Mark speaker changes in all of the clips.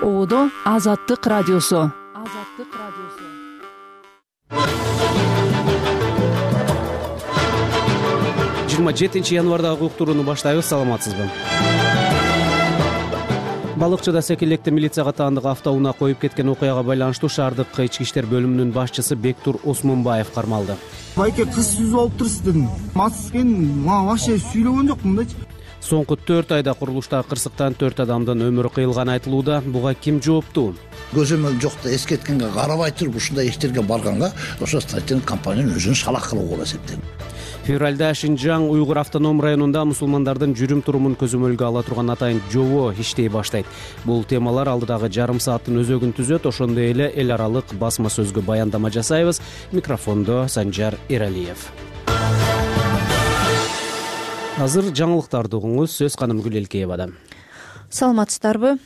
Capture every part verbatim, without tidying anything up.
Speaker 1: Оодо Азаттык радиосу. Азаттык радиосу.
Speaker 2: жыйырма жетинчи январдагы уктурууну баштайбыз. Саламатсызбы? Балыкчыда Секилекте милицияга таандык автоунаа коюп кеткен окуяга байланыштуу шаардык ички иштер бөлүмүнүн башчысы Бектур Осмонбаев кармалды.
Speaker 3: Байке кыз сүзүп алып турсуз дедим. Мацкен мага вообще сүйлөгөн жокмун дачы.
Speaker 2: Соңку төрт айда курулуштагы кырсыктан төрт адамдын өмүрү кыйылганы айтылууда. Буга ким жооптуу?
Speaker 4: Көзөмөл жокто эскерткенге карабай туруп ушундай иштерге барганга ошо строительный компаниянын өзүн шалак кылуу болуп эсептейм.
Speaker 2: Февралда Шинжаң Уйгур автоном районунда мусулмандардын жүрүм турумун көзөмөлгө ала турган атайын жобо иштей баштайт. Бул темалар алдыдагы жарым сааттын өзөгүн түзөт. Ошондой эле эл аралык басма сөзгө баяндама жасайбыз. Микрофондо Санжар Эралиев. Азыр жаңылыктарды угуңуз. Сөз Каным Гүлелкеевада.
Speaker 5: Саламатсыздарбы?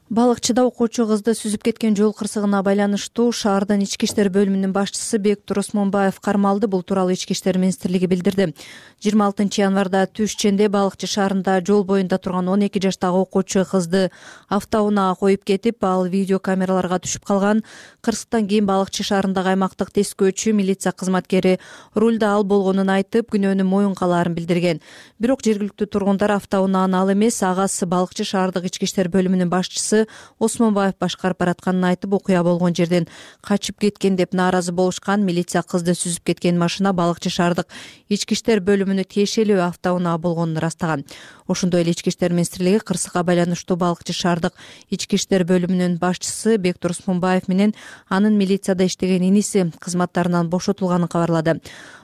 Speaker 5: Балыкчыда окуучу кызды сүзүп кеткен жол кырсыгына байланыштуу шаардын ички иштер бөлүмүнүн башчысы Бектур Осмонбаев кармалды. Бул тууралуу ички иштер министрлиги билдирди. жыйырма алтынчы январда түш ченде Балыкчы шаарында жол боюнда турган он эки жаштагы окуучу кызды автоунаа коюп кетип, ал видео камераларга түшүп калган. Кырсыктан кийин Балыкчы шаарындагы аймактык тескөөчү милиция кызматкери рулда ал болгонун айтып, күнөөнү моюнга алаарын билдирген. Бирок жергиликтүү тургундар автоунааны ал эмес, агасы Балыкчы шаардык ички иштер бөлүмүнүн башчысы Осмонбаев башкарып баратканын айтып, окуя болгон жерден качып кеткен деп нааразы болушкан. Милиция кызды сүзүп кеткен машина Балыкчы шаардык ички иштер бөлүмүнө тиешелүү автоунаа болгонун ырастаган. Ошондой эле ички иштер министрлиги кырсыкка байланыштуу Балыкчы шаардык ички иштер бөлүмүнүн башчысы Бектур Осмонбаев менен анын милицияда иштеген иниси кызматтарынан бошотулганын кабарлады.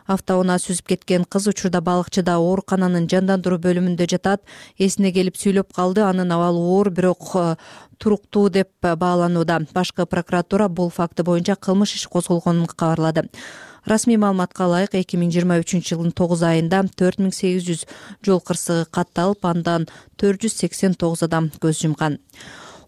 Speaker 5: Автоунаа сүзүп кеткен кыз учурда Балыкчыда оорукананын жандандыруу бөлүмүндө жатат. Эсине келип сүйлөп калды. Анын абалы оор, бирок туруктуу деп бааланууда. Башкы прокуратура бул факты боюнча кылмыш иши козголгонун кабарлады. Расмий маалыматка ылайык эки миң жыйырма үчүнчү жылдын тогуз айында төрт миң сегиз жүз жол кырсыгы катталып, андан төрт жүз сексен тогуз адам көз жумган.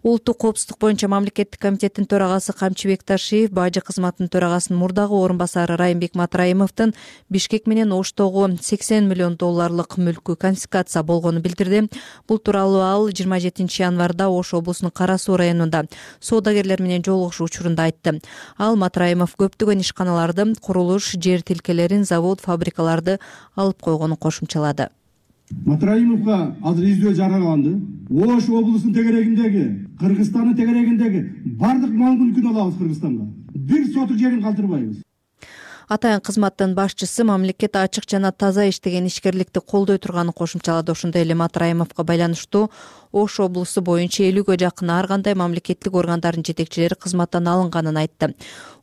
Speaker 5: Улуттук коопсуздук боюнча мамлекеттик комитеттин төрагасы Камчыбек Ташиев бажы кызматынын төрагасынын мурдагы орун басары Райымбек Матраимовдун Бишкек менен Оштогу сексен миллион долларлык мүлкү конфискация болгонун билдирди. Бул тууралуу ал жыйырма жетинчи январда Ош облусунун Кара Суу районунда соодагерлер менен жолугушуу учурунда айтты. Ал Матраимов көптөгөн ишканаларды, курулуш, жер тилкелерин, завод, фабрикаларды алып койгонун кошумчалады.
Speaker 6: Матраимовго азыр издөө жарыяланды. Ош облусунун тегерегиндеги, Кыргызстандын тегерегиндеги бардык мал мүлкүн алабыз Кыргызстанга. Бир сотук жерин калтырбайбыз.
Speaker 5: Атайын кызматтын башчысы мамлекет ачык жана таза иштеген ишкерликти колдой турганын кошумчалады. Ошондой эле Матраимовго байланыштуу Ош облусу боюнча элүүгө жакын ар кандай мамлекеттик органдардын жетекчилери кызматтан алынганын айтты.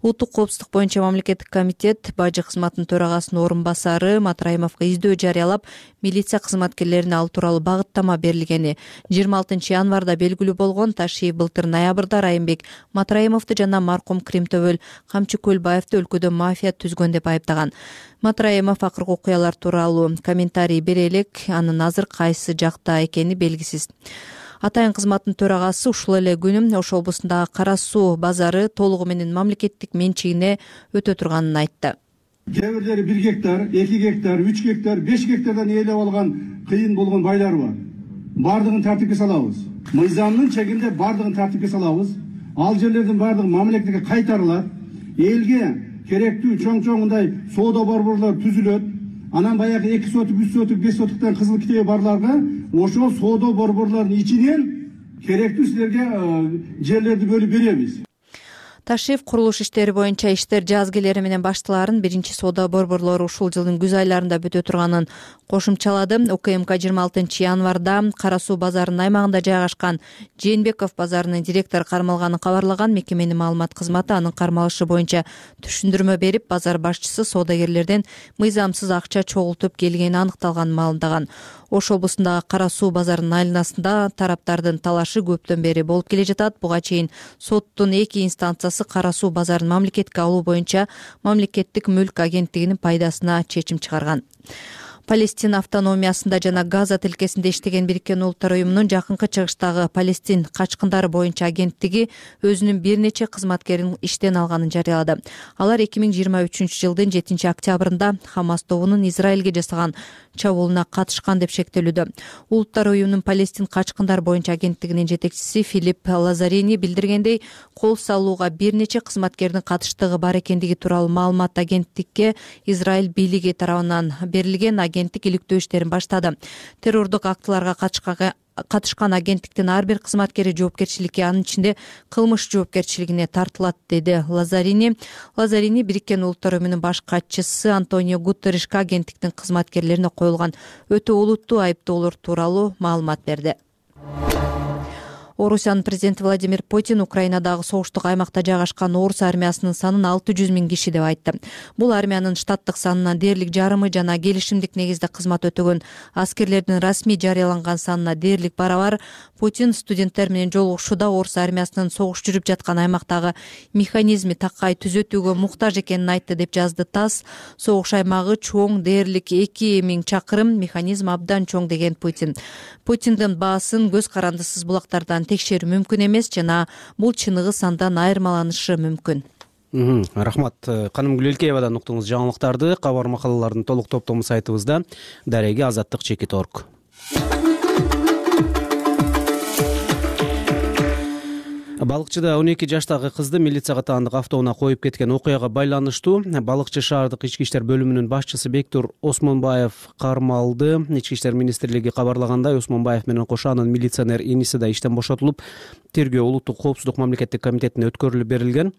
Speaker 5: Улуттук коопсуздук боюнча мамлекеттик комитет бажы кызматынын төрагасынын орун басары Матраимовго издөө жарыялап, милиция кызматкерлерине ал тууралуу багыттама берилгени жыйырма алтынчы январда белгилүү болгон. Ташиев былтыр ноябрда Райымбек Матраимовду жана маркум Кримтөбөл Камчы Көлбаевди өлкөдө мафия түзгөн деп айыптаган. Матраимов акыркы окуялар тууралуу комментарий бере элек, анын азыр кайсы жакта экени белгисиз. Атайын кызматтын төрагасы ушул эле күнү Ош облусундагы Кара Суу базары толугу менен мамлекеттик менчигине өтө турганын айтты.
Speaker 6: Кээ бирлери бир гектар, эки гектар, үч гектар, беш гектардан ээлеп алган кыйын болгон байлар бар. Бардыгын тартипке салабыз. Мыйзамдын чегинде бардыгын тартипке салабыз. Ал жерлердин бардыгы мамлекетке кайтарылат. Элге керектүү чоң-чоңундай соода борборлор түзүлөт. Анан баягы эки сотук, үч сотук, беш сотуктан кызыл китеби барларга ошол соода борборлордун ичинен керектүү силерге жерлерди бөлүп беребиз.
Speaker 5: Ташиев курулуш иштери боюнча иштер жазгилери менен баштыларын биринчи соода борборлору ушул жылдын күз айларында бүтө турганын кошумчалады. УКМК жыйырма алтынчы январда Кара Суу базарынын аймагында жайгашкан Жээнбеков базарынын директору кармалганын кабарлаган. Мекеменин маалымат кызматы анын кармалышы боюнча түшүндүрмө берип, базар башчысы соодагерлерден мыйзамсыз акча чогултуп келгени аныкталганын маалымдаган. Ош облусундагы Кара Суу базарынын айланасында тараптардын талашы көптөн бери болуп келе жатат. Буга чейин соттун эки инстанциясы Кара Суу базарын мамлекетке алуу боюнча мамлекеттик мүлк агенттигинин пайдасына чечим чыгарган. Палестин автономиясында жана Газа тилкесинде иштеген Бириккен Улуттар уюмунун жакынкы чыгыштагы Палестин качкындары боюнча агенттиги өзүнүн бир нече кызматкерин иштен алганын жарыялады. Алар эки миң жыйырма үчүнчү жылдын жетинчи октябрында Хамас тобунун Израилге жасаган чабуулуна катышкан деп шектелүүдө. Улуттар уюмунун Палестин качкындар боюнча агенттигинин жетекчиси Филипп Лазарини билдиргендей, кол салууга бир нече кызматкердин катыштыгы бар экендиги тууралуу маалымат агенттикке Израиль бийлиги тарабынан берилген. Агенттик иликтөө иштерин баштады. Террордук актыларга катышкан агенттиктин ар бир кызматкери жоопкерчиликке, анын ичинде кылмыш жоопкерчилигине тартылат, деди Лазарини. Лазарини Бириккен Улуттар уюмунун баш катчысы Антонио Гутерришке агенттиктин кызматкерлерине коюлган өтө олуттуу айыптоолор тууралуу маалымат берди. Орусиянын президенти Владимир Путин Украинадагы согуштук аймакта жайгашкан орус армиясынын санын алты жүз миң киши деп айтты. Бул армиянын штаттык санынан дээрлик жарымы жана келишимдик негизде кызмат өтөгөн аскерлердин расмий жарыяланган санына дээрлик барабар. Путин студенттер менен жолугушууда орус армиясынын согуш жүрүп жаткан аймактагы механизми такай түзөтүүгө муктаж экенин айтты деп жазды ТАСС. Согуш аймагы чоң, дээрлик эки миң чакырым, механизм абдан чоң деген Путин. Путиндин баасын көз карандысыз булактардан текшерүү мүмкүн эмес жана бул чыныгы сандан айырмаланышы мүмкүн.
Speaker 2: Рахмат. Канымгүл Элкеевадан уктуңуз жаңылыктарды. Кабар макалалардын толук топтому сайтыбызда. Дареги азаттык чекит точка орг. Балыкчыда он эки жаштагы кызды милицияга таандык автоунаа коюп кеткен окуяга байланыштуу Балыкчы шаардык ички иштер бөлүмүнүн башчысы Бектур Осмонбаев кармалды. Ички иштер министрлиги кабарлагандай, Осмонбаев менен кошо анын милиционер иниси да иштен бошотулуп, тергөө улуттук коопсуздук мамлекеттик комитетине өткөрүлүп берилген.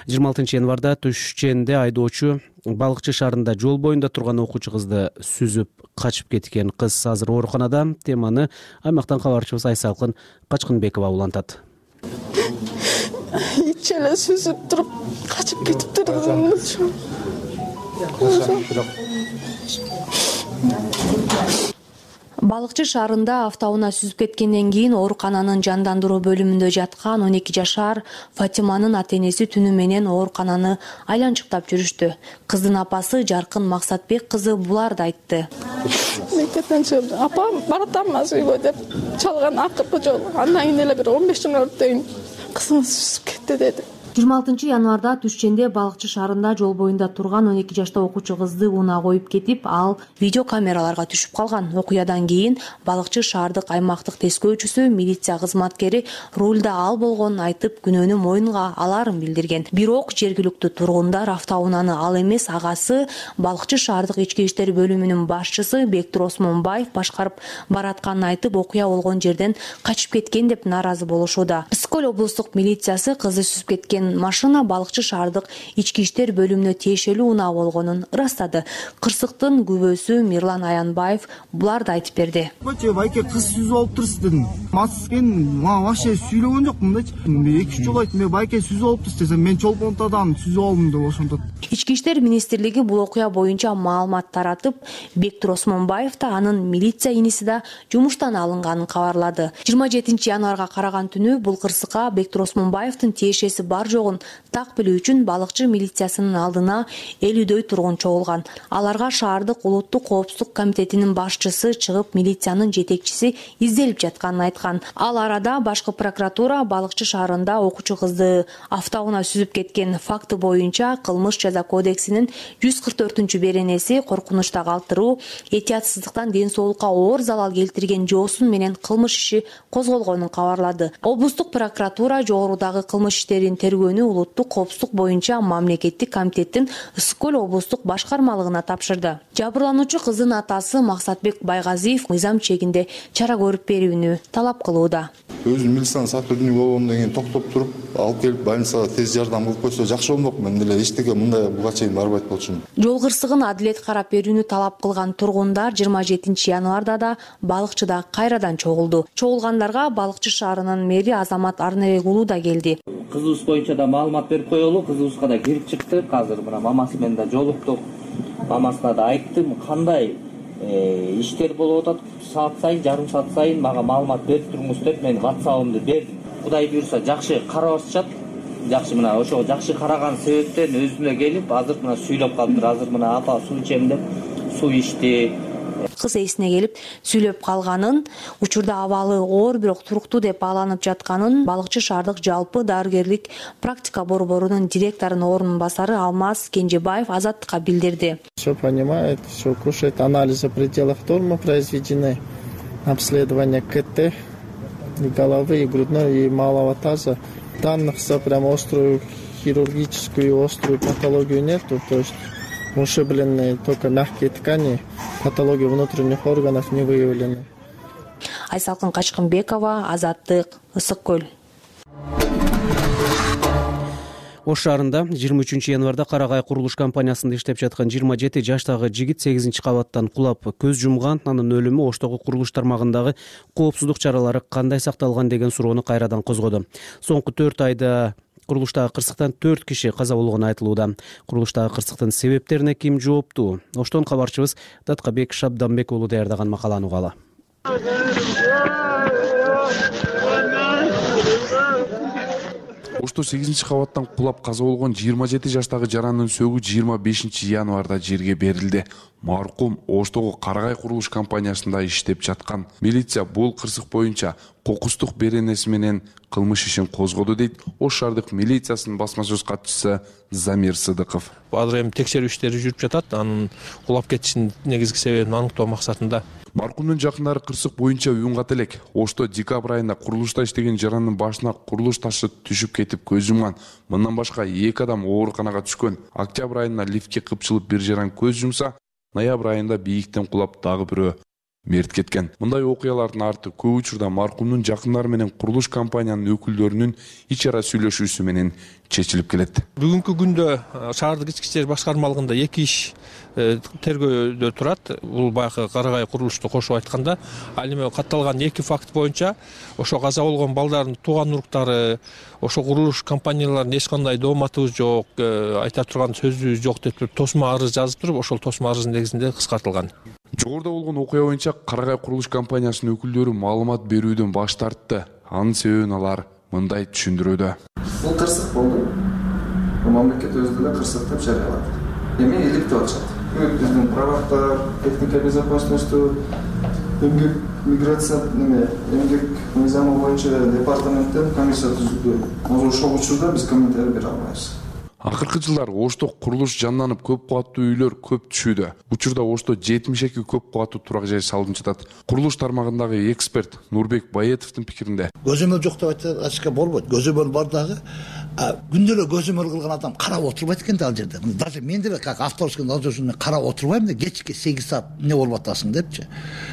Speaker 2: жыйырма алтынчы январда Түшченде айдоочу Балыкчы шаарында жол боюнда турган окуучу кызды сүзүп качып кеткен. Кыз азыр ооруканада. Теманы аймактан кабарчыбыз Айсалкын Качкынбекова улантат.
Speaker 7: Ичеле сүзүп туруп качып кетиптир.
Speaker 8: Балыкчы шаарында автоунаа сүзүп кеткенден кийин оорукананын жандандыруу бөлүмүндө жаткан он эки жашар Фатиманын ата-энеси түнү менен оорукананы айланчыктап жүрүштү. Кыздын апасы Жаркын Максатбек кызы буларды айтты.
Speaker 7: Мектептен чыгып, апам баратамыз үйгө деп чалган акыркы жолу. Андан кийин эле бир он беш жыл өттөн кызыңыз сүзүп кетти деди.
Speaker 8: жыйырма алтынчы январда Түшченде Балыкчы шаарында жол боюнда турган он эки жаштагы окуучу кызды унаа коюп кетип, ал видео камераларга түшүп калган. Окуядан кийин Балыкчы шаардык аймактык тескөөчүсү, милиция кызматкери рулда ал болгонун айтып, күнөөнү мойнуна аларын билдирген. Бирок жергиликтүү тургундар автоунааны ал эмес, агасы Балыкчы шаардык ички иштер бөлүмүнүн башчысы Бектур Осмонбаев башкарып баратканын айтып, окуя болгон жерден качып кеткен деп нааразы болушууда. Псколь облустук милициясы кызды сүзүп кеткен машина Балыкчы шаардык ички иштер бөлүмүнө тиешелүү унаа болгонун ырастады. Кырсыктын күбөсү Мирлан Аянбаев буларды айтып берди.
Speaker 3: Байке кыз сүзүп алып турсуз дедим. Мас экен, мага вообще сүйлөгөн жокмун дечи. эки үч жолу айттым, байке сүзүп алып турсуз десем, мен чолпонтадан сүзүп алдым деп ошентот.
Speaker 8: Ички иштер министрлиги бул окуя боюнча маалымат таратып, Бектур Осмонбаев да анын милиция иниси да жумуштан алынганын кабарлады. жыйырма жетинчи январга караган түнү бул кырсыкка Бектур Осмонбаевдин тиешеси бар жогун так билүү үчүн Балыкчы милициясынын алдына элүүдөй тургун чогулган. Аларга шаардык улуттук коопсуздук комитетинин башчысы чыгып, милициянын жетекчиси изделип жатканын айткан. Ал арада башкы прокуратура Балыкчы шаарында окуучу кызды автоунаа сүзүп кеткен факты боюнча кылмыш жаза кодексинин жүз кырк төртүнчү беренеси коркунучта калтыруу, этиятсыздыктан ден соолукка оор залал келтирген жоосун менен кылмыш иши козголгонун кабарлады. Облустук прокуратура жогорудагы кылмыш иштерин тергөөнү улуттук коопсуздук боюнча мамлекеттик комитеттин Ысык-Көл облустук башкармалыгына тапшырды. Жабырлануучу кыздын атасы Максатбек Байгазиев мыйзам чегинде чара көрүп берүүнү талап кылууда.
Speaker 9: Өзүм милициянын сотрудниги болгондон кийин токтоп туруп, алып келип больницага тез жардам кылып койсо жакшы болмок. Мен деле эчтеке мындай буга чейин барбайт болчумун.
Speaker 8: Жол кырсыгын адилет карап берүүнү талап кылган тургундар жыйырма жетинчи январда да Балыкчыда кайрадан чогулду. Чогулгандарга Балыкчы шаарынын мэри Азамат Арнабек уулу да келди.
Speaker 10: Кызыбыз боюнча да маалымат берип коелу. Кызыбызга да кирип чыкты. Азыр мына мамасы менен да жолуктук. Мамасына да айттым, кандай иштер болуп атат, саат сайын, жарым саат сайын мага маалымат берип туруңуз деп мен WhatsApp'ымды бердим. Кудай буйрса жакшы карабашат. Жакшы мына ошо жакшы караган себептен өзүнө келип, азыр мына сүйлөп калыптыр. Азыр мына апа суу ичем деп суу ичти.
Speaker 8: кыз эсине келип сүйлөп калганын, учурда абалы оор бирок туруктуу деп бааланып жатканын Балыкчы шаардык жалпы дарыгерлик практика борборунун директорунун ордун басары Алмаз Кенжебаев Азаттыкка билдирди.
Speaker 11: Все понимает, все кушает, анализы в пределах нормы произведены, обследование КТ и головы, и грудной, и малого таза. Данных за прям острую хирургическую, острую патологию нету, то есть ушибленные только мягкие ткани, патологии внутренних органов не выявлены.
Speaker 8: Айсалкын Качкынбекова, Азаттык, Ысык көл.
Speaker 2: Ош шаарында жыйырма үчүнчү январда Карагай курулуш компаниясында иштеп жаткан жыйырма жети жаштагы жигит сегизинчи кабаттан кулап көз жумган. Анын өлүмү Оштогу курулуш тармагындагы коопсуздук чаралары кандай сакталган деген суроону кайрадан козгоду. Соңку төрт айда курулуштагы кырсыктан төрт киши каза болгону айтылууда. Курулуштагы кырсыктын себептерине ким жооптуу? Оштон кабарчыбыз Даткабек Шабданбек уулу даярдаган макаланы угалы.
Speaker 12: Ошто сегизинчи кабаттан кулап каза болгон жыйырма жети жаштагы жарандын сөгү жыйырма бешинчи январда жерге берилди. Маркум Оштогу Карагай курулуш компаниясында иштеп жаткан. Милиция бул кырсык боюнча кокустук беренеси менен кылмыш ишин козгоду дейт Ош шаардык милициясынын басма сөз катчысы Замир Сыдыков.
Speaker 13: Азыр эми текшерүү иштери жүрүп жатат. Анын кулап кетишинин негизги себебин аныктоо максатында.
Speaker 12: Маркумдун жакындары кырсык боюнча уюнгат элек. Ошто декабрь айында курулушта иштеген жарандын башына курулуш ташы түшүп кетип көз жумган. Мындан башка эки адам ооруканага түшкөн. Октябрь айында лифтке кыпчылып бир жаран көз жумса, ноябрь айында бийиктен кулап дагы бирөө мерт кеткен. Мындай окуялардын арты көп учурда маркумдун жакындары менен курулуш компаниянын өкүлдөрүнүн ич ара сүйлөшүүсү менен чечилип келет.
Speaker 13: Бүгүнкү күндө шаардык ички иштер башкармалыгында эки иш тергөөдө турат. Бул баягы Карагай курулушту кошуп айтканда, ал эми катталган эки факт боюнча ошо каза болгон балдардын тууган уруктары, ошо курулуш компанияларынын эч кандай дооматыбыз жок, айта турган сөзүбүз жок деп тосмо арыз жазып туруп, ошол тосмо арыздын негизинде кыскартылган.
Speaker 12: Жогоруда болгон окуя боюнча Карагай курулуш компаниясынын өкүлдөрү маалымат берүүдөн баш тартты. Анын себебин алар мындай түшүндүрүүдө.
Speaker 14: Бул кырсык болду. Мамлекет өзү да кырсык деп жарыялады. Эми иликтеп атышат. Биздин правактар, техника безопасности, эмгек миграция неме, эмгек мыйзамы боюнча департаменттен комиссия түзүлдү. Азыр ошол учурда биз комментарий бере албайбыз.
Speaker 12: Акыркы жылдары Ошто курулуш жанданып көп кубаттуу үйлөр көп түшүүдө. Учурда Ошто жетимиш эки көп кубаттуу турак жай салынып жатат. Курулуш тармагындагы эксперт Нурбек Баетовдун пикиринде,
Speaker 4: көзөмөл жок деп айтышка болбойт. Көзөмөл бар дагы. Күндө эле көзөмөл кылган адам карап отурбайт экен да ал жерде. Даже мен деле как авторский надзорчу карап отурбайм да, кечки сегиз саат эмне болуп атасың депчи.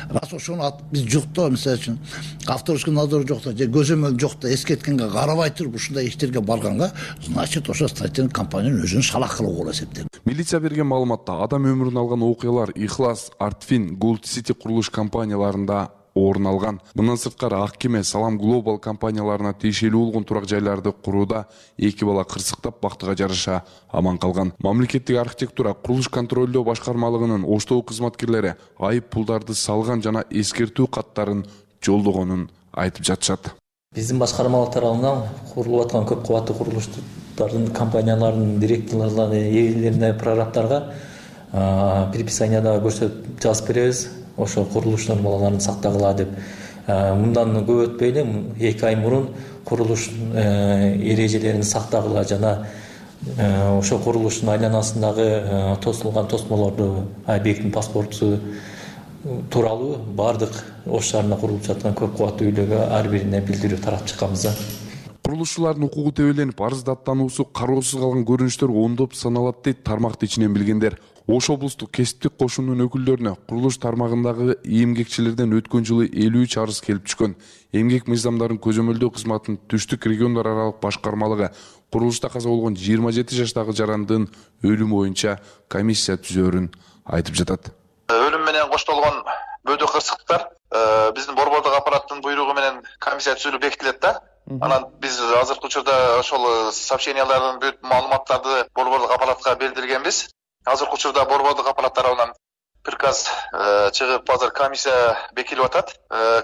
Speaker 4: Раз ошону биз жокто, мисалы үчүн авторский надзор жокто же көзөмөл жокто эскерткенге карабай туруп ушундай иштерге барганга, значит ошо статьянын компаниянын өзүн шалак кылуу болот эсептейм.
Speaker 12: Милиция берген маалыматта адам өмүрүн алган окуялар Ихлас, Артфин, Gold City курулуш компанияларында орун алган. Мындан сырткары Ак Кеме, Салам Global компанияларына тиешелүү болгон турак жайларды курууда эки бала кырсыктап бактыга жараша аман калган. Мамлекеттик архитектура курулуш контролдоо башкармалыгынын Оштогу кызматкерлери айып пулдарды салган жана эскертүү каттарын жолдогонун айтып жатышат.
Speaker 15: Биздин башкармалык тарабынан курулуп аткан көп кубаттуу курулуштардын компанияларынын директорлоруна, ээлерине, прорабтарга предписанияда көрсөтүп жазып беребиз. Ошо курулуш нормаларын сактагыла деп. Мындан көп өтпөй эле эки ай мурун курулуш эрежелерин сактагыла жана ошо курулуштун айланасындагы тосулган тосмолорду, объекттин паспорту тууралуу бардык Ош шаарында курулуп жаткан көп кубаттуу үйлөргө ар бирине билдирүү таратып чыкканбыз.
Speaker 12: Курулушчулардын укугу тебеленип, арыз даттануусу кароосуз калган көрүнүштөр ондоп саналат дейт тармакты ичинен билгендер. Ош облустук кесиптик кошунунун өкүлдөрүнө курулуш тармагындагы эмгекчилерден өткөн жылы элүү үч арыз келип түшкөн. Эмгек мыйзамдарын көзөмөлдөө кызматынын түштүк региондор аралык башкармалыгы курулушта каза болгон жыйырма жети жаштагы жарандын өлүмү боюнча комиссия түзөөрүн айтып жатат.
Speaker 16: Өлүм менен коштолгон бөөдө кырсыктар биздин борбордук аппараттын буйругу менен комиссия түзүлүп бекитилет да. Анан биз азыркы учурда ошол сообщениялардын бүт маалыматтарды борбордук аппаратка билдиргенбиз. Азыркы учурда борбордук аппарат тарабынан приказ чыгып азыр комиссия бекилип атат.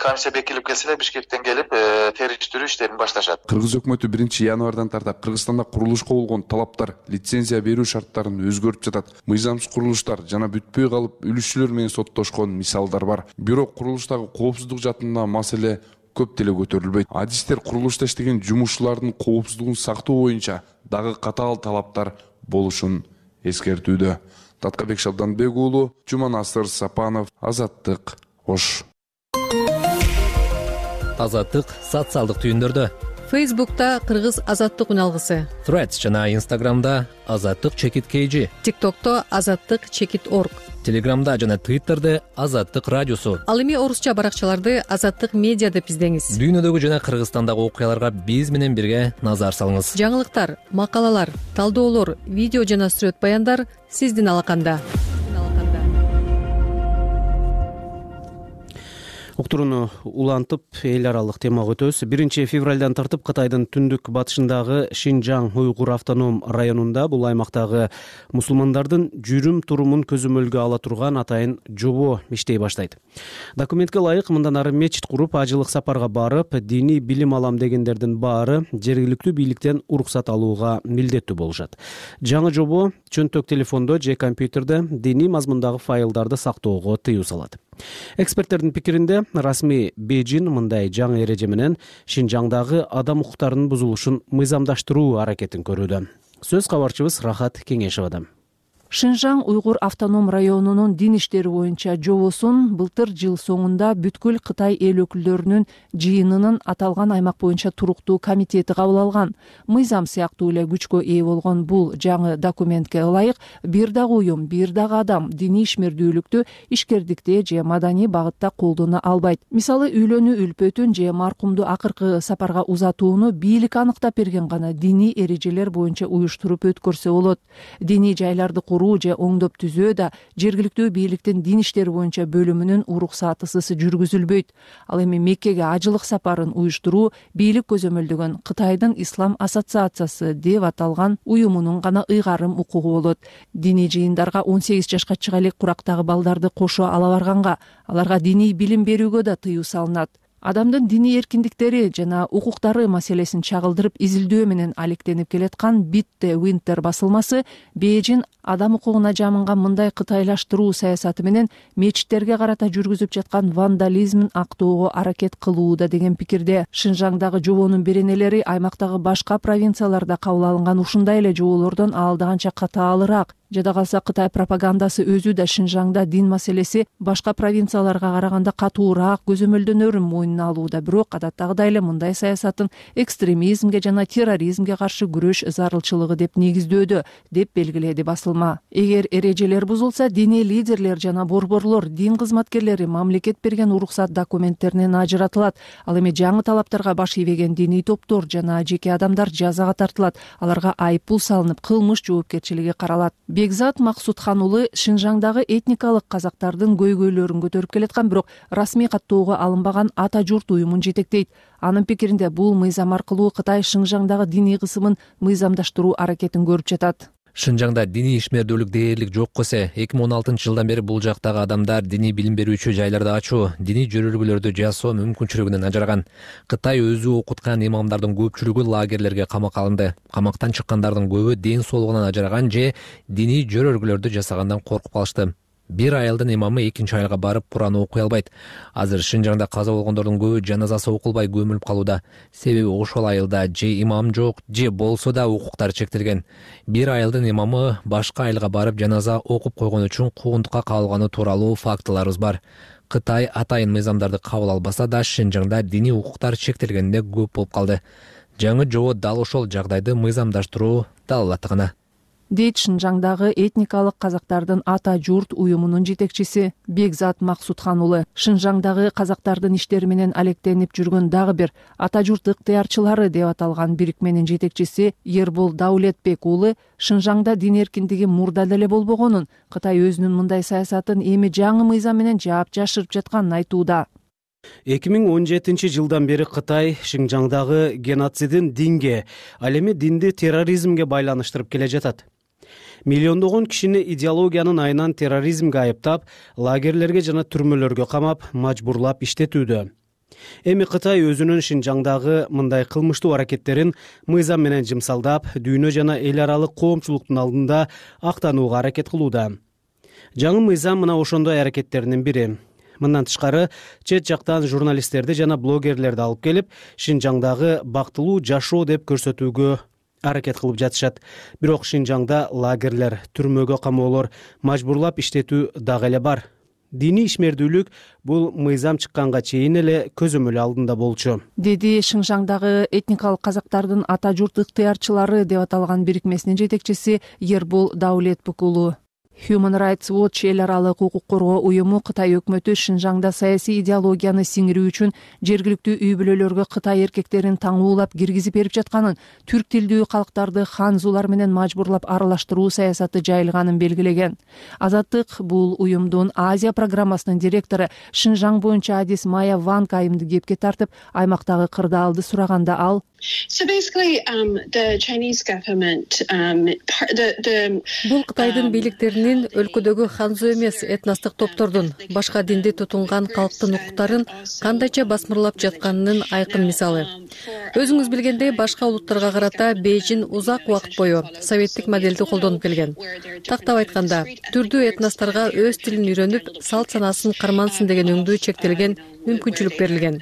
Speaker 16: Комиссия бекилип келсе эле Бишкектен келип териштирүү иштерин башташат.
Speaker 12: Кыргыз өкмөтү биринчи январдан тартап Кыргызстанда курулушка болгон талаптар, лицензия берүү шарттарын өзгөртүп жатат. Мыйзамсыз курулуштар жана бүтпөй калып үлүшчүлөр менен соттошкон мисалдар бар. Бирок курулуштагы коопсуздук жаатында маселе көп деле көтөрүлбөйт. Адистер курулушта иштеген жумушчулардын коопсуздугун сактоо боюнча дагы катаал талаптар болушун эскертүүдө. Таткабек Шабданбек уулу, Жуманасыр Сапанов, Азаттык, Ош.
Speaker 17: Азаттык социалдык түйүндөрдө.
Speaker 18: Фейсбукта Кыргыз Азаттык үналгысы.
Speaker 17: Threads жана Инстаграмда Азаттык чекит kg.
Speaker 18: ТикТокто Азаттык чекит орг.
Speaker 17: Телеграмда жана Твиттерде Азаттык радиосу.
Speaker 18: Ал эми орусча баракчаларды Азаттык медиа деп издеңиз.
Speaker 17: Дүйнөдөгү жана Кыргызстандагы окуяларга биз менен бирге назар салыңыз.
Speaker 18: Жаңылыктар, макалалар, талдоолор, видео жана сүрөт баяндар сиздин алаканда.
Speaker 2: Уктурууну улантып, эл аралык темага өтөбүз. биринчи февралдан тартып Кытайдын түндүк батышындагы Шинжаң уйгур автоном районунда, бул аймактагы мусулмандардын жүрүм турумун көзөмөлгө ала турган атайын жобо иштей баштайт. Документке ылайык мындан ары мечит куруп, ажылык сапарга барып, диний билим алам дегендердин баары жергиликтүү бийликтен уруксат алууга милдеттүү болушат. Жаңы жобо чөнтөк телефондо же компьютерде диний мазмундагы файлдарды сактоого тыюу салат. Эксперттердин пикиринде, расмий Бейжин мындай жаңы эреже менен Шинжаңдагы адам укуктарынын бузулушун мыйзамдаштыруу аракетин көрүүдө. Сөз кабарчыбыз Рахат Кеңешевадан.
Speaker 1: Шинжаң уйгур автоном районунун дин иштери боюнча жобосун былтыр жыл соңунда бүткүл Кытай эл өкүлдөрүнүн жыйынынын аталган аймак боюнча туруктуу комитети кабыл алган. Мыйзам сыяктуу эле күчкө ээ болгон бул жаңы документке ылайык бир дагы уюм, бир дагы адам диний ишмердүүлүктү ишкердикте же маданий багытта колдоно албайт. Мисалы, үйлөнүү үлпөтүн же маркумду акыркы сапарга узатууну бийлик аныктап берген гана диний эрежелер боюнча уюштуруп өткөрсө болот. Диний жайларды же оңдоп түзөө да жергиликтүү бийликтин дин иштери боюнча бөлүмүнүн уруксатысыз жүргүзүлбөйт. Ал эми Меккеге ажылык сапарын уюштуруу бийлик көзөмөлдөгөн Кытайдын Ислам ассоциациясы деп аталган уюмунун гана ыйгарым укугу болот. Диний жыйындарга он сегиз жашка чыга элек курактагы балдарды кошо ала барганга, аларга диний билим берүүгө да тыюу салынат. Адамдын диний эркиндиктери жана укуктары маселесин чагылдырып изилдөө менен алектенип келаткан Битте Winter басылмасы Бейжин адам укугуна жамынган мындай кытайлаштыруу саясаты менен мечиттерге карата жүргүзүп жаткан вандализмин актоого аракет кылууда деген пикирде. Шинжаңдагы жобонун беренелери аймактагы башка провинцияларда кабыл алынган ушундай эле жоболордон алдаганча катаалыраак. Жада калса Кытай пропагандасы өзү да Шинжаңда дин маселеси башка провинцияларга караганда катуураак көзөмөлдөнөрүн мойнуна алууда. Бирок адаттагыдай эле мындай саясатын экстремизмге жана терроризмге каршы күрөш зарылчылыгы деп негиздөөдө, деп белгиледи басылма. Эгер эрежелер бузулса, диний лидерлер жана борборлор, дин кызматкерлери мамлекет берген уруксат документтеринен ажыратылат. Ал эми жаңы талаптарга баш ийбеген диний топтор жана жеке адамдар жазага тартылат. Аларга айыппул салынып, кылмыш жоопкерчилиги каралат. Бекзат Максутхан уулу Шинжаңдагы этникалык казактардын көйгөйлөрүн көтөрүп келаткан, бирок расмий каттоого алынбаган ата журт уюмун жетектейт. Анын пикиринде бул мыйзам аркылуу Кытай Шинжаңдагы диний кысымын мыйзамдаштыруу аракетин көрүп жатат.
Speaker 17: Шинжаңда диний ишмердүүлүк дээрлик жок эсе. эки миң он алтынчы жылдан бери бул жактагы адамдар диний билим берүүчү жайларды ачуу, диний жөрөлгөлөрдү жасоо мүмкүнчүлүгүнөн ажыраган. Кытай өзү окуткан имамдардын көпчүлүгү лагерлерге камакка алынды. Камактан чыккандардын көбү ден соолугунан ажыраган же диний жөрөлгөлөрдү жасагандан коркуп калышты. Бир айылдын имамы экинчи айылга барып Куран окуй албайт. Азыр Шинжаңда каза болгондордун көбү жаназасы окулбай көмүлүп калууда. Себеби ошол айылда же имам жок, же болсо да укуктары чектелген. Бир айылдын имамы башка айылга барып жаназа окуп койгон үчүн куугунтукка кабылганы тууралуу фактыларыбыз бар. Кытай атайын мыйзамдарды кабыл албаса да Шинжаңда диний укуктар чектелгенде көп болуп калды. Жаңы жобо дал ошол жагдайды мыйзамдаштыруу далалаттыгына.
Speaker 1: Дейт Шинжаңдагы этникалык казактардын ата журт уюмунун жетекчиси Бекзат Максутхан уулу. Шинжаңдагы казактардын иштери менен алектенип жүргөн дагы бир ата журт ыктыярчылары деп аталган бирикменин жетекчиси Ербол Даулетбек уулу Шинжаңда дин эркиндиги мурда деле болбогонун, Кытай өзүнүн мындай саясатын эми жаңы мыйзам менен жаап жашырып жатканын айтууда.
Speaker 2: эки миң он жетинчи жылдан бери Кытай Шинжаңдагы геноцидин динге, ал эми динди терроризмге байланыштырып келе жатат. миллиондогон кишини идеологиянын айынан терроризмге айыптап, лагерлерге жана түрмөлөргө камап, мажбурлап иштетүүдө. Эми Кытай өзүнүн Шинжаңдагы мындай кылмыштуу аракеттерин мыйзам менен жымсалдап, дүйнө жана эл аралык коомчулуктун алдында актанууга аракет кылууда. Жаңы мыйзам мына ошондой аракеттеринин бири. Мындан тышкары, чет жактан журналисттерди жана блогерлерди алып келип, Шинжаңдагы бактылуу жашоо деп көрсөтүүгө аракет кылып жатышат. Бирок Шинжаңда лагерлер, түрмөгө камоолор, мажбурлап иштетүү дагы эле бар. Диний ишмердүүлүк бул мыйзам чыкканга чейин эле көзөмөл алдында болчу,
Speaker 1: деди Шинжаңдагы этникалык казактардын ата журт ыктыярчылары деп аталган бирикмесинин жетекчиси Ербол Даулетбек уулу. Human Rights Watch эл аралык укук коргоо уюму Кытай өкмөтү Шинжаңда саясий идеологияны сиңирүү үчүн жергиликтүү үй бүлөлөргө Кытай эркектерин таңуулап киргизип берип жатканын, түрк тилдүү калктарды ханзулар менен мажбурлап аралаштыруу саясаты жайылганын белгилеген. Азаттык бул уюмдун Азия программасынын директору Шинжаң боюнча адис Майя Ванг айымды кепке тартып, аймактагы кырдаалды сураганда ал
Speaker 19: So basically, um, the Chinese government, um, the, the,
Speaker 18: бул Кытайдын бийликтеринин өлкөдөгү ханзу эмес этностук топтордун, башка динди тутунган калктын укуктарын кандайча басмырлап жатканынын айкын мисалы. Өзүңүз билгендей, башка улуттарга карата Бейжин узак убакыт бою советтик моделди колдонуп келген. Тактап айтканда, түрдүү этносторго өз тилин үйрөнүп, салт санасын кармансын деген өңдүү чектелген мүмкүнчүлүк берилген.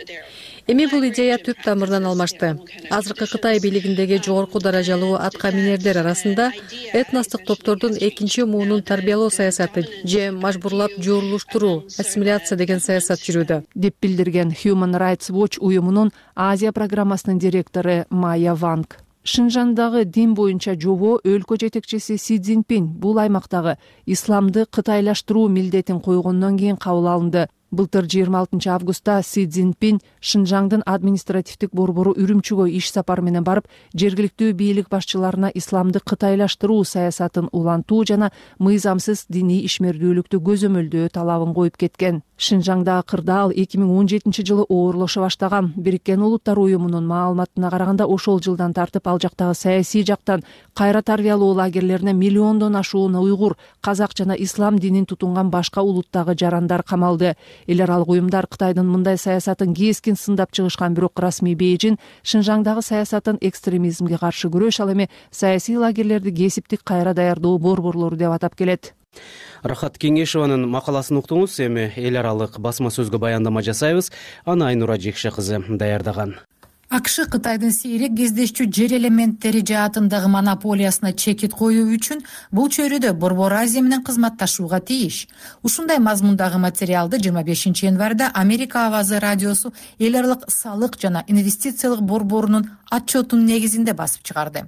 Speaker 18: Эми бул идея түп тамырынан алмашты. Азыркы Кытай бийлигиндеги жогорку даражалуу атка минердер арасында этностук топтордун экинчи муунун тарбиялоо саясаты же мажбурлап жуурулуштуруу, ассимиляция деген саясат жүрүүдө,
Speaker 1: деп билдирген Human Rights Watch уюмунун Азия программасынын директору Майя Ванг. Шинжаңдагы дин боюнча жобо өлкө жетекчиси Си Цзиньпин бул аймактагы исламды кытайлаштыруу милдетин койгондон кийин кабыл алынды. Былтыр жыйырма алтынчы августта Си Цзиньпин Шинжаңдын административдик борбору Үрүмчүгө иш сапары менен барып, жергиликтүү бийлик башчыларына исламды кытайлаштыруу саясатын улантуу жана мыйзамсыз диний ишмердүүлүктү көзөмөлдөө талабын коюп кеткен. Шинжаңдагы кырдаал эки миң он жетинчи жылы оорлошо баштаган. Бириккен Улуттар уюмунун маалыматына караганда, ошол жылдан тартып ал жактагы саясий жактан кайра тарбиялоо лагерлерине миллиондон ашуун уйгур, казак жана ислам динин тутунган башка улуттагы жарандар камалды. Эл аралык уюмдар Кытайдын мындай саясатын кескин сындап чыгышкан, бирок расмий Бейжин Шинжаңдагы саясатын экстремизмге каршы күрөш, ал эми саясий лагерлерди кесиптик кайра даярдоо борборлору деп атап келет.
Speaker 2: Рахат Кеңешованын макаласын уктуңуз. Эми эл аралык басма сөзгө баяндама жасайбыз. Аны Айнура Жекше кызы даярдаган.
Speaker 20: АКШ Кытайдын сейрек кездешчү жер элементтери жаатындагы монополиясына чекит коюу үчүн бул чөйрөдө Борбор Азия менен кызматташууга тийиш. Ушундай мазмундагы материалды жыйырма бешинчи январда Америка Авазы радиосу эл аралык салык жана инвестициялык борборунун отчетунун негизинде басып чыгарды.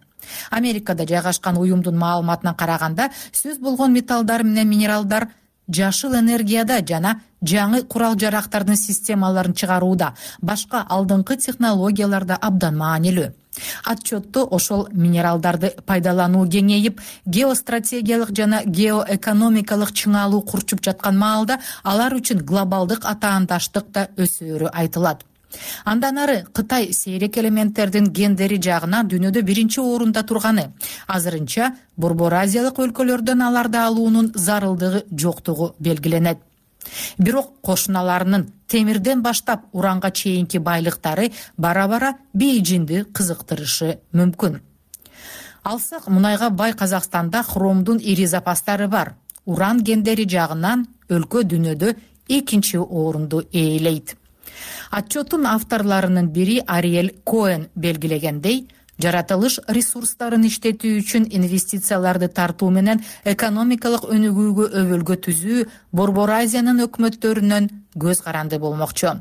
Speaker 20: Америкада жайгашкан уюмдун маалыматына караганда, сөз болгон металлдар менен минералдар жашыл энергияда жана жаңы курал жарактардын системаларын чыгарууда, башка алдыңкы технологияларда абдан маанилүү. Отчетто ошол минералдарды пайдалануу кеңейип, геостратегиялык жана геоэкономикалык чыңалуу курчуп жаткан маалда алар үчүн глобалдык атаандаштык да өсөөрү айтылат. Андан ары Кытай сейрек элементтердин гендери жагынан дүйнөдө биринчи орунда турганы, азырынча Борбор Азиялык өлкөлөрдөн аларды алуунун зарылдыгы жоктугу белгиленет. Бирок кошуналарынын темирден баштап уранга чейинки байлыктары бара-бара Бейжинди кызыктырышы мүмкүн. Алсак, мунайга бай Казакстанда хромдун ири запастары бар. Уран гендери жагынан өлкө дүйнөдө экинчи орунду ээлейт. Отчеттун авторларынын бири Ариэль Коэн белгилегендей, жаратылыш ресурстарын иштетүү үчүн инвестицияларды тартуу менен экономикалык өнүгүүгө өбөлгө түзүү Борбор Азиянын өкмөттөрүнөн көз каранды болмокчу.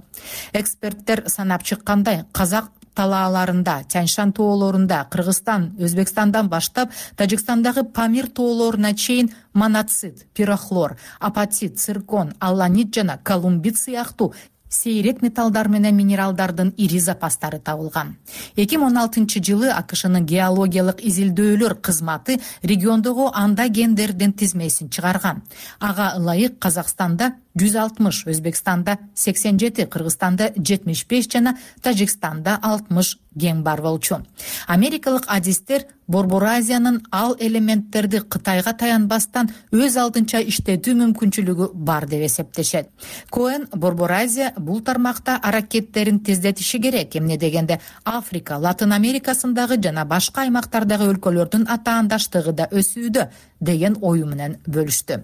Speaker 20: Эксперттер санап чыккандай, казак талааларында, Тяньшан тоолорунда, Кыргызстан, Өзбекстандан баштап Тажикстандагы Памир тоолоруна чейин моноцит, пирохлор, апатит, циркон, алланит жана колумбит сыяктуу сейрек металлдар менен минералдардын ири запастары табылган. эки миң он алтынчы жылы АКШнын геологиялык изилдөөлөр кызматы региондогу анда гендердин тизмесин чыгарган. Ага ылайык Казакстанда жүз алтымыш, Өзбекстанда сексен жети, Кыргызстанда жетимиш беш жана Тажикстанда алтымыш ген бар болчу. Америкалык адистер Борбор Азиянын ал элементтерди Кытайга таянбастан өз алдынча иштетүү мүмкүнчүлүгү бар деп эсептешет. Коэн Борбор Азия бул тармакта аракеттерин тездетиши керек, эмне дегенде Африка, Латын Америкасындагы жана башка аймактардагы өлкөлөрдүн атаандаштыгы да өсүүдө деген ою менен бөлүштү.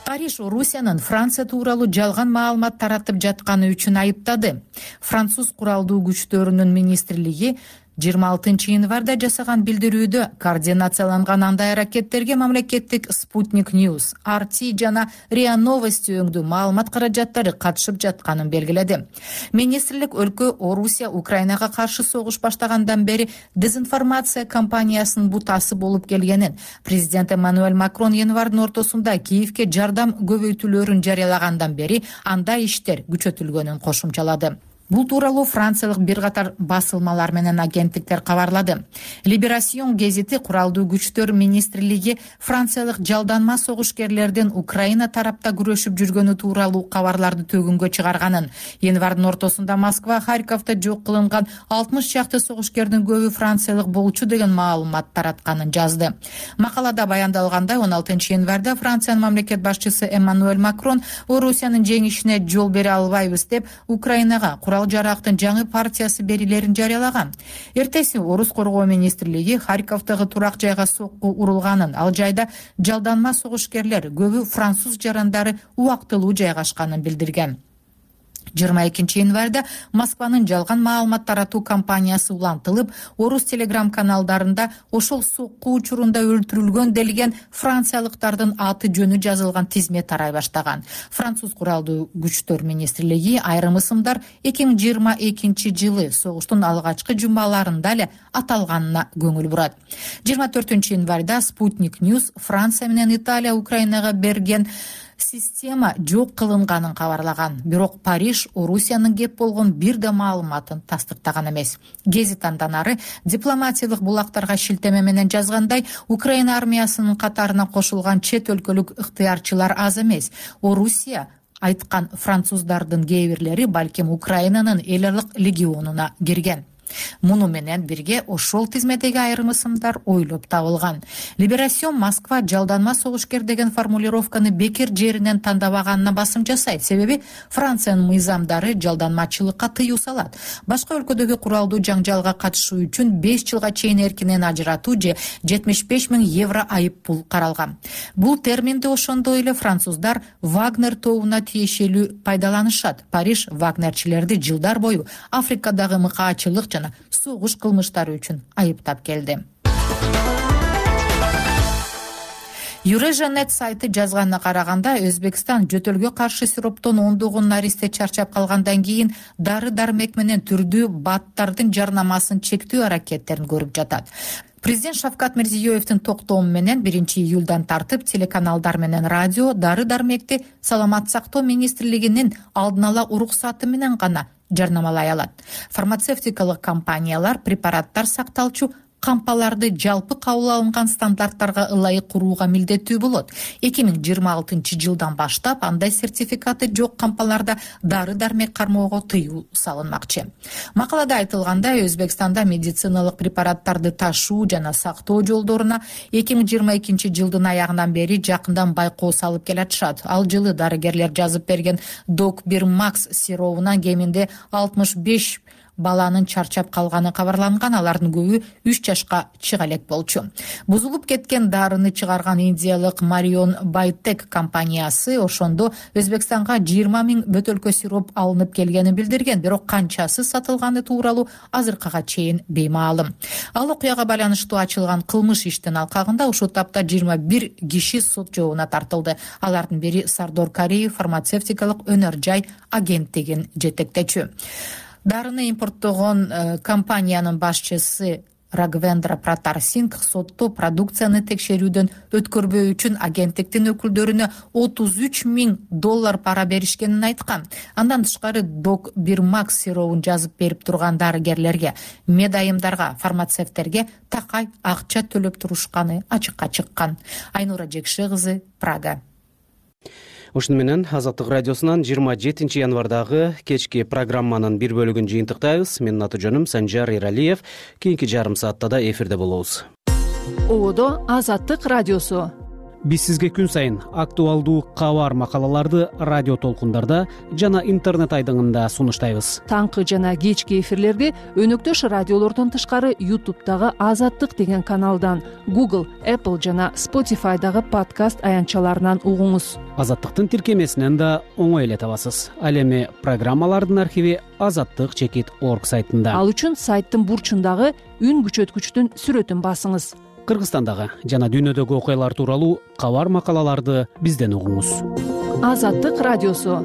Speaker 20: Париж Орусиянын Франция тууралуу жалган маалымат таратып жатканы үчүн айыптады. Француз куралдуу күчтөрүнүн министрлиги жыйырма алтынчы январда жасаган билдирүүдө координацияланган андай аракеттерге мамлекеттик Спутник News, ар ти жана риа Новости өңдүү маалымат каражаттары катышып жатканын белгиледи. Министрлик өлкө Орусия Украинага каршы согуш баштагандан бери дезинформация кампаниясынын бутасы болуп келгенин, президент Эммануэль Макрон январдын ортосунда Киевке жардам көбөйтүүлөрүн жарыялагандан бери андай иштер күчөтүлгөнүн кошумчалады. Бул тууралуу франциялык бир катар басылмалар менен агенттиктер кабарлады. Либерасион гезити куралдуу күчтөр министрлиги франциялык жалданма согушкерлердин Украина тарапта күрөшүп жүргөнү тууралуу кабарларды төгүнгө чыгарганын, январдын ортосунда Москва, Харьковдо жок кылынган алтымыш чакты согушкердин көбү франциялык болчу деген маалымат таратканын жазды. Макалада баяндалгандай, он алтынчы январда Франциянын мамлекет башчысы Эммануэль Макрон Орусиянын жеңишине жол бере албайбыз деп Украинага курал жарактын жаңы партиясы берилерин жарыялаган. Эртеси Орус коргоо министрлиги Харьковдогу турак жайга сокку урулганын, ал жайда жалданма согушкерлер көбү француз жарандары убактылуу жайгашканын билдирген. жыйырма экинчи январда Москванын жалган маалымат таратуу кампаниясы улантылып, Орус телеграм каналдарында ошол сокку учурунда өлтүрүлгөн делген франциялыктардын аты жөнү жазылган тизме тарай баштаган. Француз куралдуу күчтөр министрлиги айрым ысымдар эки миң жыйырма экинчи жылы согуштун алгачкы жумаларында эле аталганына көңүл бурат. жыйырма төртүнчү январда Спутник News Франция менен Италия Украинага берген система жок кылынганын кабарлаган. Бирок Париж Орусиянын кеп болгон бир да маалыматын тастыктаган эмес. Гезит андан ары дипломатиялык булактарга шилтеме менен жазгандай, Украина армиясынын катарына кошулган чет өлкөлүк ыктыярчылар аз эмес. Орусия айткан француздардын кээ бирлери балким Украинанын эл аралык легионуна кирген. Муну менен бирге ошол тизмедеги айрым ысымдар ойлоп табылган. Либерасион Москва жалданма согушкер деген формулировканы бекер жеринен тандабаганына басым жасайт. Себеби Франциянын мыйзамдары жалданмачылыкка тыюу салат. Башка өлкөдөгү куралдуу жаңжалга катышуу үчүн беш жылга чейин эркинен ажыратуу же жетимиш беш миң евро айып пул каралган. Бул терминди ошондой эле француздар Вагнер тобуна тиешелүү пайдаланышат. Париж вагнерчилерди жылдар бою Африкадагы мыкаачылык жана согуш кылмыштары үчүн айыптап келди. Юрежанет сайты жазганына караганда, Өзбекстан жөтөлгө каршы сироптон ондогон наристе чарчап калгандан кийин дары-дармек менен түрдүү баттардын жарнамасын чектөө аракеттерин көрүп жатат. Президент Шавкат Мирзиёевдин токтому менен биринчи июлдан тартып телеканалдар менен радио дары-дармекти Саламат сактоо министрлигинин алдын ала уруксаты менен гана жарнамалай алат. Фармацевтикалык компаниялар препараттар сакталчу кампаларды жалпы кабыл алынган стандарттарга ылайык курууга милдеттүү болот. эки миң жыйырма алтынчы жылдан баштап андай сертификаты жок кампаларда дары-дармек кармоого тыюу салынмакчы. Макалада айтылгандай, Өзбекстанда медициналык препараттарды ташуу жана сактоо жолдоруна эки миң жыйырма экинчи жылдын аягынан бери жакындан байкоо салып келатышат. Ал жылы дарыгерлер жазып берген Док бир Макс сиробунан кеминде алтымыш беш баланын чарчап калганы кабарланган, алардын көбү үч жашка чыга элек болчу. Бузулуп кеткен дарыны чыгарган индиялык Марион Байтек компаниясы ошондо Өзбекстанга жыйырма миң бөтөлкө сироп алынып келгенин билдирген, бирок канчасы сатылганы тууралуу азыркыга чейин беймаалым. Ал окуяга байланыштуу ачылган кылмыш иштин алкагында ушул тапта жыйырма бир киши сот жообуна тартылды. Алардын бири Сардор Кариев фармацевтикалык өнөр жай агенттигин жетектечү. Дарыны импорттогон компаниянын башчысы Рагвендра Пратар Сингх сотто продукцияны текшерүүдөн өткөрбөө үчүн агенттиктин өкүлдөрүнө отуз үч миң доллар пара беришкенин айткан. Андан тышкары Док Бирмакс сыйроовун жазып берип турган дарыгерлерге, медайымдарга, фармацевттерге такай акча төлөп турушканы ачыкка чыккан. Айнура Жекши кызы, Прага.
Speaker 2: Ушуну менен Азаттык радиосунан жыйырма жетинчи январдагы кечки программанын бир бөлүгүн жыйынтыктайбыз. Менин аты жөнүм Санжар Иралиев. Кийинки жарым саатта да эфирде болобуз.
Speaker 1: Ободо Азаттык радиосу.
Speaker 2: Биз сизге күн сайын актуалдуу кабар макалаларды радио толкундарда жана интернет айдыңында сунуштайбыз.
Speaker 1: Таңкы жана кечки эфирлерди өнөктөш радиолордон тышкары YouTube'дагы Азаттык деген каналдан, Google, Apple жана Spotify'дагы подкаст аянтчаларынан угуңуз.
Speaker 2: Азаттыктын тиркемесинен да оңой эле табасыз. Ал эми программалардын архиви азаттык чекит орг сайтында.
Speaker 1: Ал үчүн сайттын бурчундагы үн күчөткүчтүн сүрөтүн басыңыз.
Speaker 2: Кыргызстандагы жана дүйнөдөгү окуялар тууралуу кабар макалаларды бизден угуңуз.
Speaker 1: Азаттык радиосу.